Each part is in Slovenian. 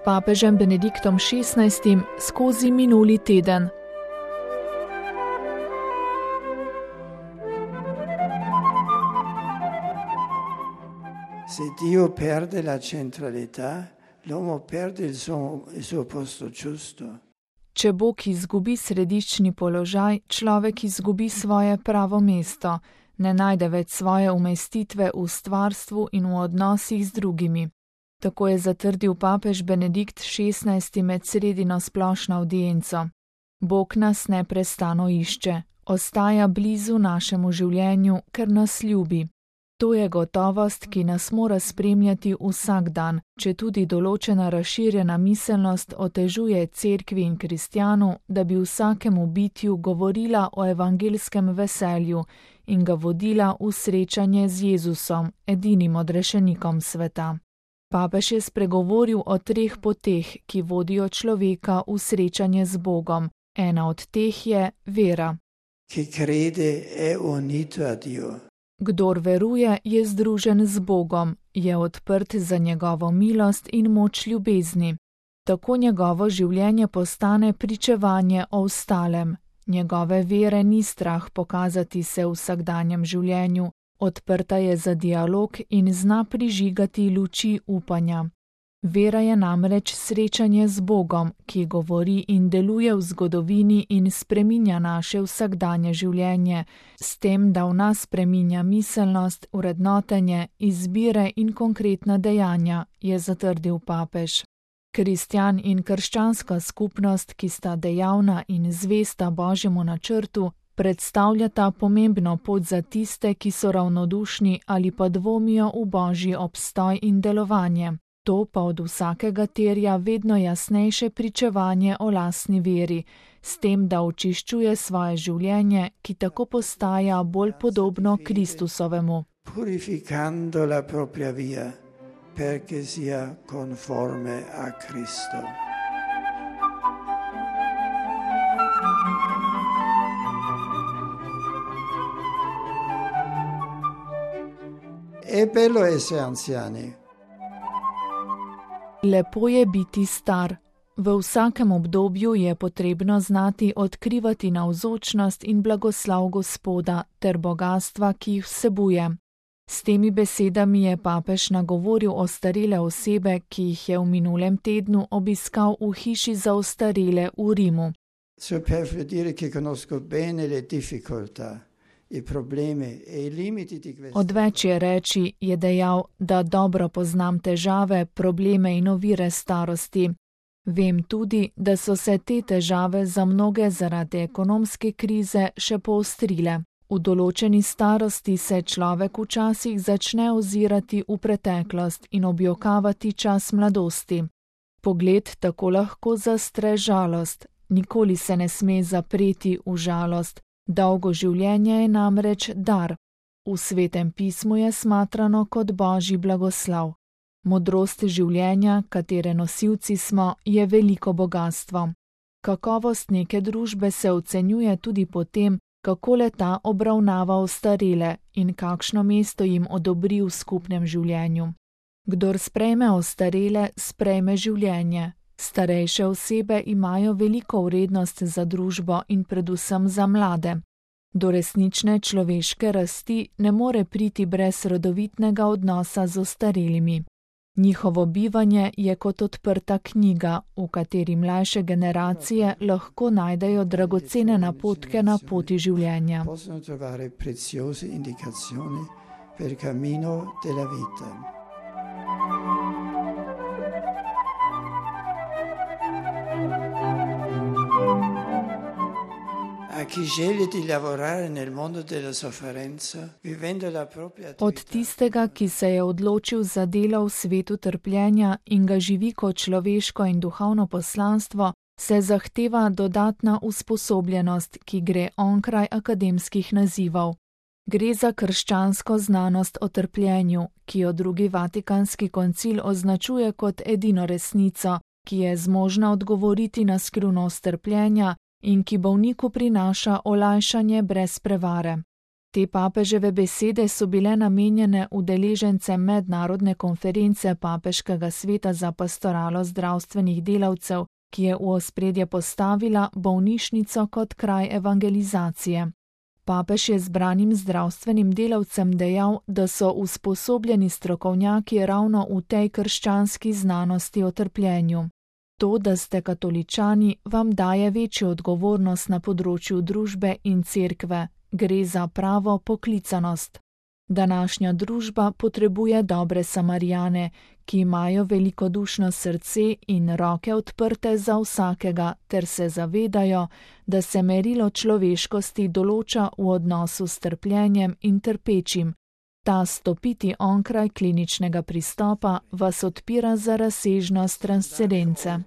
papežem Benediktom XVI skozi minuli teden. Se Dio perde la centralità, l'uomo perde il suo posto giusto. Če Bog izgubi središčni položaj, človek izgubi svoje pravo mesto, ne najde več svoje umestitve v stvarstvu in v odnosih z drugimi. Tako je zatrdil papež Benedikt XVI med sredino splošno avdienco. Bog nas neprestano išče, ostaja blizu našemu življenju, ker nas ljubi. To je gotovost, ki nas mora spremljati vsak dan, četudi določena razširjena miselnost otežuje cerkvi in kristjanu, da bi vsakemu bitju govorila o evangelskem veselju in ga vodila v srečanje z Jezusom, edinim odrešenikom sveta. Papež je spregovoril o 3 poteh, ki vodijo človeka v srečanje z Bogom. Ena od teh je vera. Chi crede è unito a Dio. Kdor veruje, je združen z Bogom, je odprt za njegovo milost in moč ljubezni. Tako njegovo življenje postane pričevanje o ostalem. Njegove vere ni strah pokazati se v vsakdanjem življenju, odprta je za dialog in zna prižigati luči upanja. Vera je namreč srečanje z Bogom, ki govori in deluje v zgodovini in spreminja naše vsakdanje življenje, s tem, da v nas spreminja miselnost, vrednotenje, izbire in konkretna dejanja, je zatrdil papež. Kristjan in krščanska skupnost, ki sta dejavna in zvesta Božjemu načrtu, predstavljata pomembno pot za tiste, ki so ravnodušni ali pa dvomijo v Božji obstoj in delovanje. To pa od vsakega terja vedno jasnejše pričevanje o lastni veri, s tem, da očiščuje svoje življenje, ki tako postaja bolj podobno Kristusovemu. Purificando la propria via, perché sia conforme a Cristo. È bello essere anziani. Lepo je biti star. V vsakem obdobju je potrebno znati odkrivati navzočnost in blagoslov Gospoda ter bogastva, ki jih vsebuje. S temi besedami je papež nagovoril ostarele osebe, ki jih je v minulem tednu obiskal v hiši za ostarele v Rimu. Odveč je reči, je dejal, da dobro poznam težave, probleme in ovire starosti. Vem tudi, da so se te težave za mnoge zaradi ekonomske krize še poostrile. V določeni starosti se človek včasih začne ozirati v preteklost in objokavati čas mladosti. Pogled tako lahko zastre žalost, nikoli se ne sme zapreti v žalost. Dolgo življenje je namreč dar. V Svetem pismu je smatrano kot Božji blagoslov. Modrost življenja, katere nosilci smo, je veliko bogastvo. Kakovost neke družbe se ocenjuje tudi po tem, kako le-ta obravnava ostarele in kakšno mesto jim odobri v skupnem življenju. Kdor sprejme ostarele, sprejme življenje. Starejše osebe imajo veliko vrednost za družbo in predvsem za mlade. Do resnične človeške rasti ne more priti brez rodovitnega odnosa z ostarelimi. Njihovo bivanje je kot odprta knjiga, v kateri mlajše generacije lahko najdejo dragocene napotke na poti življenja. Od tistega, ki se je odločil za delo v svetu trpljenja in ga živi kot človeško in duhovno poslanstvo, se zahteva dodatna usposobljenost, ki gre onkraj akademskih nazivov. Gre za krščansko znanost o trpljenju, ki jo Drugi Vatikanski koncil označuje kot edino resnico, ki je zmožna odgovoriti na skrivnost trpljenja in ki bolniku prinaša olajšanje brez prevare. Te papeževe besede so bile namenjene udeležencem mednarodne konference Papeškega sveta za pastoralo zdravstvenih delavcev, ki je v ospredje postavila bolnišnico kot kraj evangelizacije. Papež je zbranim zdravstvenim delavcem dejal, da so usposobljeni strokovnjaki ravno v tej krščanski znanosti o trpljenju. To, da ste katoličani, vam daje večjo odgovornost na področju družbe in cerkve. Gre za pravo poklicanost. Današnja družba potrebuje dobre Samarijane, ki imajo velikodušno srce in roke odprte za vsakega, ter se zavedajo, da se merilo človeškosti določa v odnosu s trpljenjem in trpečim. Ta stopiti onkraj kliničnega pristopa vas odpira za razsežnost transcendence.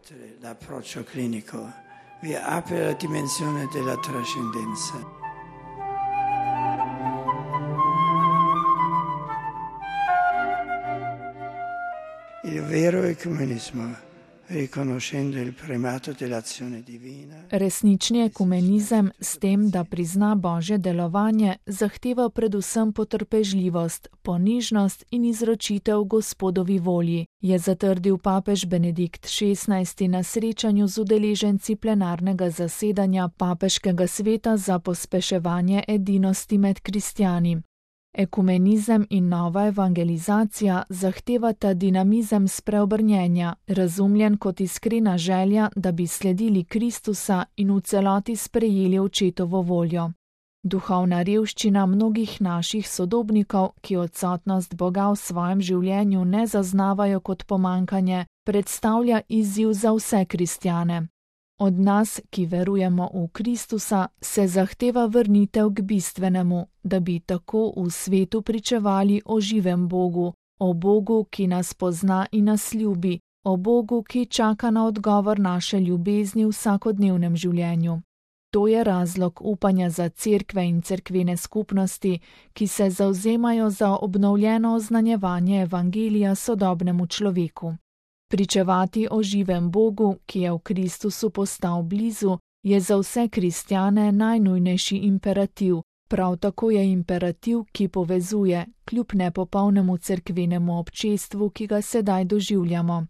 Il vero ecumenismo, riconoscendo il primato dell'azione divina. Resnični ekumenizem s tem, da prizna Božje delovanje, zahteva predvsem potrpežljivost, ponižnost in izročitev Gospodovi volji, je zatrdil papež Benedikt XVI na srečanju z udeleženci plenarnega zasedanja Papeškega sveta za pospeševanje edinosti med kristjani. Ekumenizem in nova evangelizacija zahtevata dinamizem spreobrnjenja, razumljen kot iskrena želja, da bi sledili Kristusa in v celoti sprejeli očetovo voljo. Duhovna revščina mnogih naših sodobnikov, ki odsotnost Boga v svojem življenju ne zaznavajo kot pomanjkanje, predstavlja izziv za vse kristjane. Od nas, ki verujemo v Kristusa, se zahteva vrnitev k bistvenemu, da bi tako v svetu pričevali o živem Bogu, o Bogu, ki nas pozna in nas ljubi, o Bogu, ki čaka na odgovor naše ljubezni v vsakodnevnem življenju. To je razlog upanja za cerkve in cerkvene skupnosti, ki se zavzemajo za obnovljeno oznanjevanje evangelija sodobnemu človeku. Pričevati o živem Bogu, ki je v Kristusu postal blizu, je za vse kristjane najnujnejši imperativ, prav tako je imperativ, ki povezuje, kljub nepopolnemu cerkvenemu občestvu, ki ga sedaj doživljamo.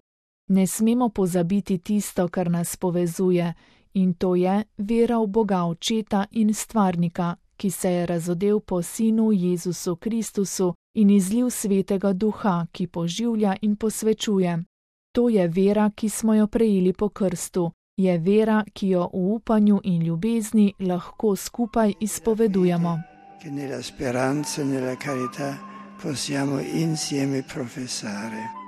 Ne smemo pozabiti tisto, kar nas povezuje, in to je vera v Boga Očeta in Stvarnika, ki se je razodel po Sinu Jezusu Kristusu in izlil Svetega Duha, ki poživlja in posvečuje. To je vera, ki smo jo prejeli po krstu, je vera, ki jo v upanju in ljubezni lahko skupaj izpovedujemo. Che nella speranza e nella carità possiamo insieme professare.